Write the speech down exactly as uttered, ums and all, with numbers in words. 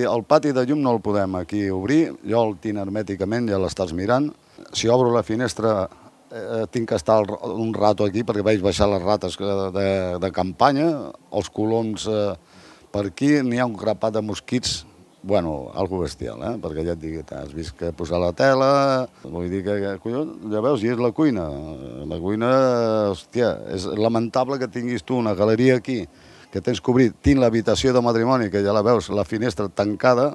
pati, el pati de llum no el podem aquí obrir, jo el tinc hermèticament, ja l'estàs mirant. Si obro la finestra eh, tinc que estar un rato aquí perquè veig baixar les rates de, de campanya, els coloms eh, per aquí, n'hi ha un grapat de mosquits, bueno, algo bestial, eh? Perquè ja et dic, has vist que posar la tela, vull dir que, collons, ja veus, i és la cuina. La cuina, hòstia, és lamentable que tinguis tu una galeria aquí, que tens que obrir, tinc l'habitació de matrimoni, que ja la veus, la finestra tancada,